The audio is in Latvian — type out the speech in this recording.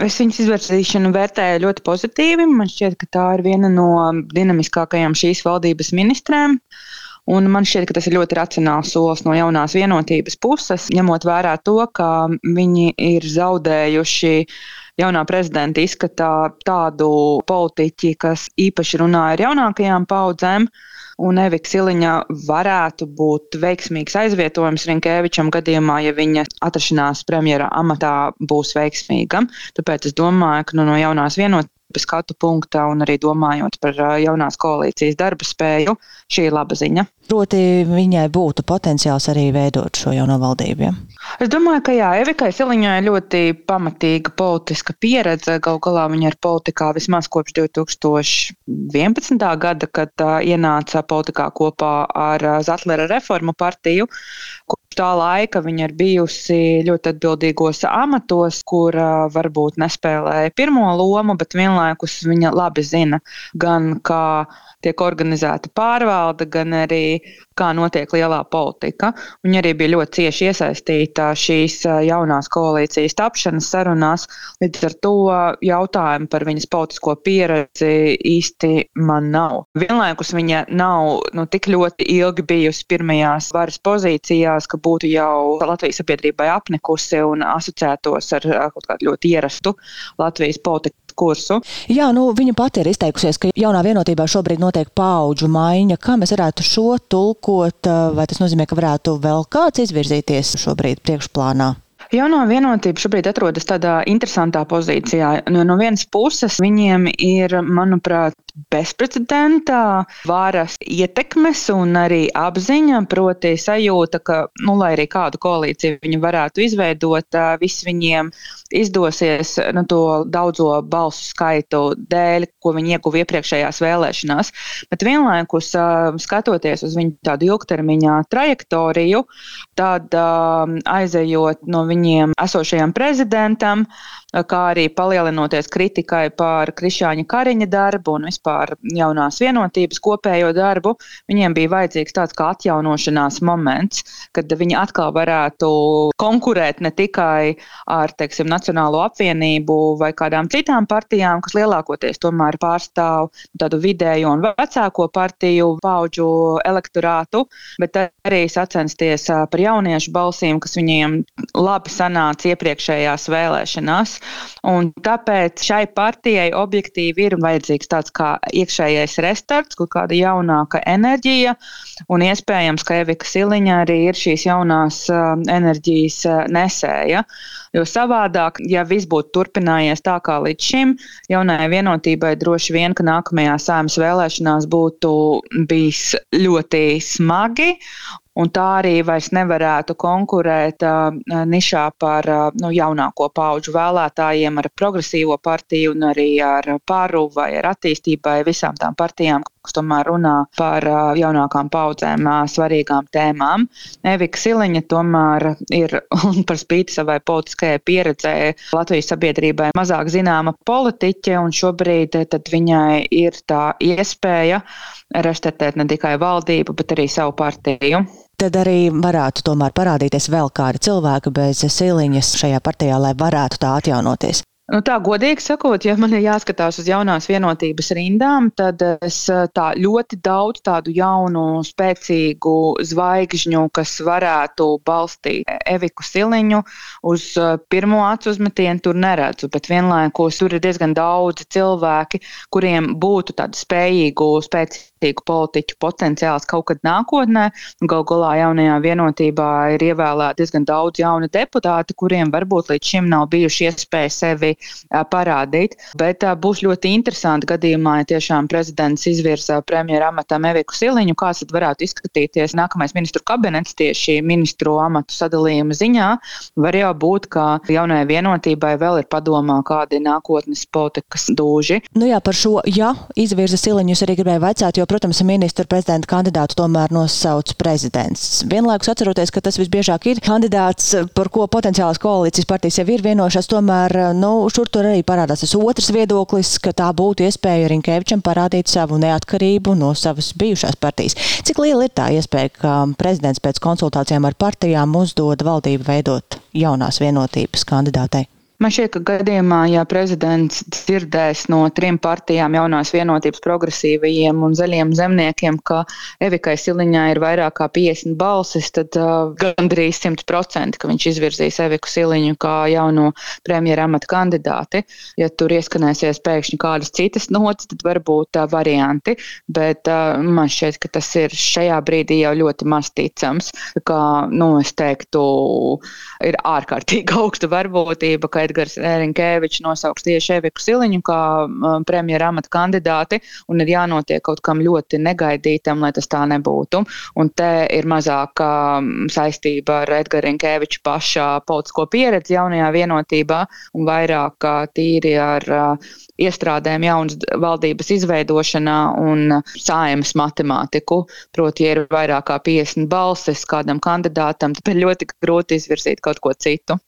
Es viņas izvirzīšanu vērtēju ļoti pozitīvi. Man šķiet, ka tā ir viena no dinamiskākajām šīs valdības ministrēm. Un man šķiet, ka tas ir ļoti racionāls solis no jaunās vienotības puses, ņemot vērā to, ka viņi ir zaudējuši jaunā prezidenta izskatā tādu politiķi, kas īpaši runā ar jaunākajām paudzēm. Un Evika Siliņa varētu būt veiksmīgs aizvietojums Rinkēvičam gadījumā, ja viņa atrašanās premjera amatā būs veiksmīga. Tāpēc es domāju, ka no jaunās vienotības skatu punkta un arī domājot par jaunās koalīcijas darba spēju, šī ir laba ziņa. Proti viņai būtu potenciāls arī veidot šo jauno valdību, ja? Es domāju, ka jā, Evikai Siliņai ļoti pamatīga politiska pieredze. Galu galā viņa ir politikā vismaz kopš 2011. gada, kad ienāca politikā kopā ar Zatlera reformu partiju. Kopš tā laika viņa ir bijusi ļoti atbildīgos amatos, kur varbūt nespēlēja pirmo lomu, bet vienlaikus viņa labi zina gan kā tiek organizēta pārvalde, gan arī kā notiek lielā politika. Viņa arī bija ļoti cieši iesaistīta šīs jaunās koalīcijas tapšanas sarunās. Līdz ar to jautājumu par viņas politisko pieredzi īsti man nav. Vienlaikus viņa nav tik ļoti ilgi bijusi pirmajās varas pozīcijās, ka būtu jau Latvijas sabiedrībai apnikusi un asociētos ar kaut kādu ļoti ierastu Latvijas politiku kursu. Jā, viņa pati ir izteikusies, ka jaunā vienotībā šobrīd notiek paudžu maiņa. Kā mēs varētu šo tulkot? Vai tas nozīmē, ka varētu vēl kāds izvirzīties šobrīd priekšplānā? Jaunā vienotība šobrīd atrodas tādā interesantā pozīcijā. No vienas puses viņiem ir, manuprāt, bezprecedentā varas ietekmes un arī apziņa, proti sajūta, ka, lai arī kādu koalīciju viņi varētu izveidot, viss viņiem izdosies to daudzo balsu skaitu dēļ, ko viņi ieguva iepriekšējās vēlēšanās. Bet vienlaikus, skatoties uz viņu tādu ilgtermiņā trajektoriju, tad aizejot no viņiem esošajam prezidentam, kā arī palielinoties kritikai par Krišjāņa Kariņa darbu un vispār jaunās vienotības kopējo darbu, viņiem bija vajadzīgs tāds kā atjaunošanās moments, kad viņi atkal varētu konkurēt ne tikai ar, Nacionālo apvienību vai kādām citām partijām, kas lielākoties tomēr pārstāv tādu vidējo un vecāko partiju paudžu elektorātu, bet arī sacensties par jauniešu balsīm, kas viņiem labi sanāca iepriekšējās vēlēšanās. Un tāpēc šai partijai objektīvi ir vajadzīgs tāds kā iekšējais restarts, kaut kāda jaunāka enerģija, un iespējams, ka Evika Siliņa arī ir šīs jaunās enerģijas nesēja. Jo savādāk, ja viss būtu turpinājies tā kā līdz šim, jaunajai vienotībai droši vien, ka nākamajās Saeimas vēlēšanās būtu bijis ļoti smagi, un tā arī vairs nevarētu konkurēt nišā par jaunāko paudžu vēlētājiem ar progresīvo partiju un arī ar Paru vai ar attīstībai, visām tām partijām, kas tomēr runā par jaunākām paudzēm svarīgām tēmām. Evika Siliņa tomēr ir, un par spīti savai politiskajai pieredzē, Latvijas sabiedrībai mazāk zināma politiķe, un šobrīd tad viņai ir tā iespēja restartēt ne tikai valdību, bet arī savu partiju. Tad arī varētu tomēr parādīties vēl kādi cilvēki bez Siliņas šajā partijā, lai varētu tā atjaunoties. Tā godīgi sakot, ja man ir jāskatās uz jaunās vienotības rindām, tad es tā ļoti daudz tādu jaunu, spēcīgu zvaigžņu, kas varētu balstīt Eviku Siliņu, uz pirmo acu uzmetienu tur neredzu, bet vienlaikus tur ir diezgan daudzi cilvēki, kuriem būtu tādu spēcīgu politiķu potenciāls kaut kad nākotnē. Galu galā jaunajā vienotībā ir ievēlēti diezgan daudz jauni deputāti, kuriem varbūt līdz šim nav bijuši iespēja sevi parādīt, bet būs ļoti interesanti gadījumā, ja tiešām prezidents izvirza premjera amatam Eviku Siliņu, kāds tad varētu izskatīties nākamais ministru kabinets tieši ministru amatu sadalījuma ziņā. Var jau būt, ka jaunajai vienotībai vēl ir padomā kādi nākotnes politikas dūži. Jā, par šo, izvirza Siliņu, es arī gribēju vaicāt, jo, protams, ministru prezidenta kandidātu tomēr nosauc prezidents. Vienlaikus atceroties, ka tas visbiežāk ir kandidāts, par ko potenciālās koalīcijas partijas jau ir vienojušās, tomēr, šur tur arī parādās tas otrs viedoklis, ka tā būtu iespēja Rinkēvičam parādīt savu neatkarību no savas bijušās partijas. Cik liela ir tā iespēja, ka prezidents pēc konsultācijām ar partijām uzdod valdību veidot jaunās vienotības kandidātei? Man šķiet, ka gadījumā, ja prezidents dzirdēs no 3 partijām, Jaunās vienotības, Progresīvajiem un Zaļiem zemniekiem, ka Evikai Siliņai ir vairāk kā 50 balsis, tad gandrīz 100%, ka viņš izvirzīs Eviku Siliņu kā jauno premjera amata kandidāti. Ja tur ieskanēsies pēkšņi kādas citas nots, tad varbūt varianti, bet man šķiet, ka tas ir šajā brīdī jau ļoti maz ticams. Kā, es teiktu, ir ārkārtīgi augsta varbūtība, ka Edgars Rinkēvičs nosauks tieši Eviku Siliņu kā premjera amata kandidāti, un ir jānotiek kaut kam ļoti negaidītam, lai tas tā nebūtu. Un te ir mazāka saistība ar Edgara Rinkēviča pašā politisko pieredzi jaunajā vienotībā un vairāk tīri ar iestrādēm jaunas valdības izveidošanā un Saeimas matemātiku. Proti, ja ir vairāk kā 50 balsis kādam kandidātam, tad ir ļoti grūti izvirzīt kaut ko citu.